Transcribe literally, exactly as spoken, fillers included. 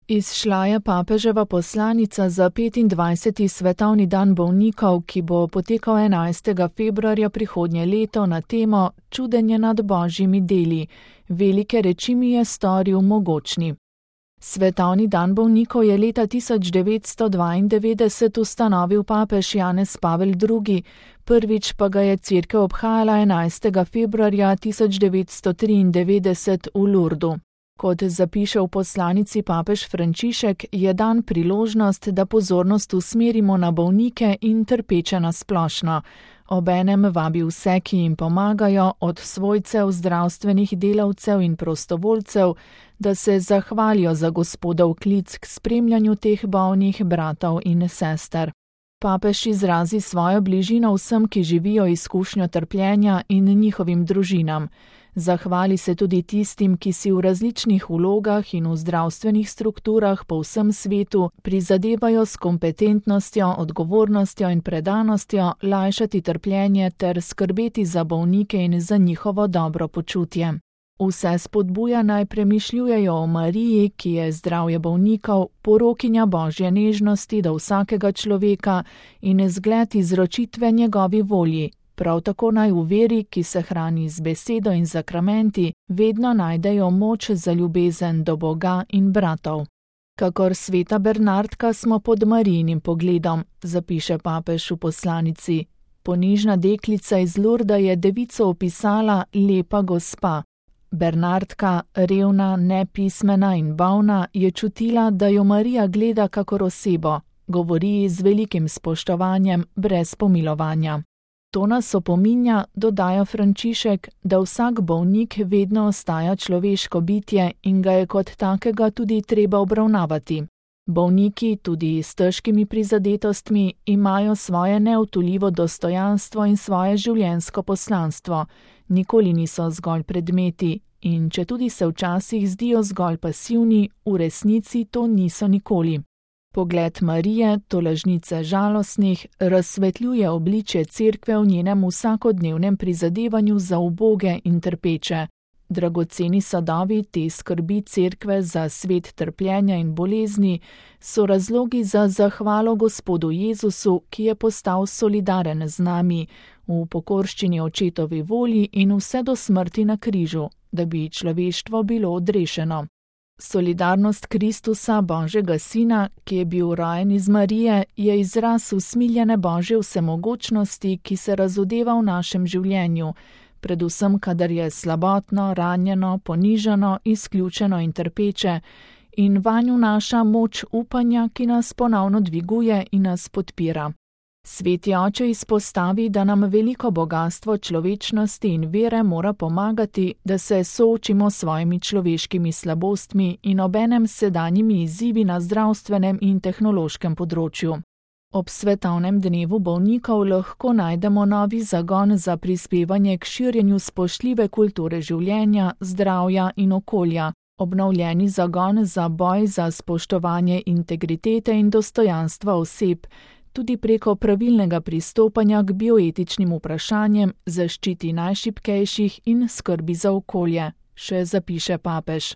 Izšla je papeževa poslanica za petindvajseti svetovni dan bolnikov, ki bo potekal enajstega februarja prihodnje leto na temo Čudenje nad božjimi deli. Velike reči mi je storil mogočni. Svetovni dan bolnikov je leta tisoč devetsto dvaindevetdeset ustanovil papež Janez Pavel drugi, prvič pa ga je cerkev obhajala enajstega februarja tisoč devetsto triindevetdeset v Lurdu. Kot zapiše v poslanici papež Frančišek, je dan priložnost, da pozornost usmerimo na bolnike in trpeče na splošno. Obenem vabi vse, ki jim pomagajo, od svojcev, zdravstvenih delavcev in prostovoljcev, da se zahvalijo za Gospodov klic k spremljanju teh bolnih bratov in sester. Papež izrazi svojo bližino vsem, ki živijo izkušnjo trpljenja in njihovim družinam. Zahvali se tudi tistim, ki si v različnih vlogah in v zdravstvenih strukturah po vsem svetu prizadevajo s kompetentnostjo, odgovornostjo in predanostjo lajšati trpljenje ter skrbeti za bolnike in za njihovo dobro počutje. Vse spodbuja naj premišljujejo o Mariji, ki je zdravje bolnikov, porokinja božje nežnosti do vsakega človeka in zgled izročitve njegovi volji. Prav tako naj v veri, ki se hrani z besedo in zakramenti, vedno najdejo moč za ljubezen do Boga in bratov. Kakor sveta Bernardka smo pod Marijinim pogledom, zapiše papež v poslanici. Ponižna deklica iz Lurda je devico opisala lepa gospa. Bernardka, revna, nepismena in bolna, je čutila, da jo Marija gleda kakor osebo, govori z velikim spoštovanjem, brez pomilovanja. To nas opominja, dodaja Frančišek, da vsak bolnik vedno ostaja človeško bitje in ga je kot takega tudi treba obravnavati. Bolniki, tudi s težkimi prizadetostmi, imajo svoje neutoljivo dostojanstvo in svoje življenjsko poslanstvo. Nikoli niso zgolj predmeti in četudi se včasih zdijo zgolj pasivni, v resnici to niso nikoli. Pogled Marije, tolažnice žalostnih, razsvetljuje obličje cerkve v njenem vsakodnevnem prizadevanju za uboge in trpeče. Dragoceni sadovi te skrbi cerkve za svet trpljenja in bolezni so razlogi za zahvalo Gospodu Jezusu, ki je postal solidaren z nami, v pokorščini očetovi volji in vse do smrti na križu, da bi človeštvo bilo odrešeno. Solidarnost Kristusa, Božjega Sina, ki je bil rojen iz Marije, je izraz usmiljene Božje vsemogočnosti, ki se razodeva v našem življenju, predvsem kadar je slabotno, ranjeno, ponižano, izključeno in trpeče, in vanj vnaša moč upanja, ki nas ponovno dviguje in nas podpira. Sveti oče izpostavi, da nam veliko bogastvo človečnosti in vere mora pomagati, da se soočimo s svojimi človeškimi slabostmi in obenem sedanjimi izzivi na zdravstvenem in tehnološkem področju. Ob svetovnem dnevu bolnikov lahko najdemo novi zagon za prispevanje k širjenju spoštljive kulture življenja, zdravja in okolja, obnovljeni zagon za boj za spoštovanje integritete in dostojanstva oseb, tudi preko pravilnega pristopanja k bioetičnim vprašanjem, zaščiti najšibkejših in skrbi za okolje, še zapiše papež.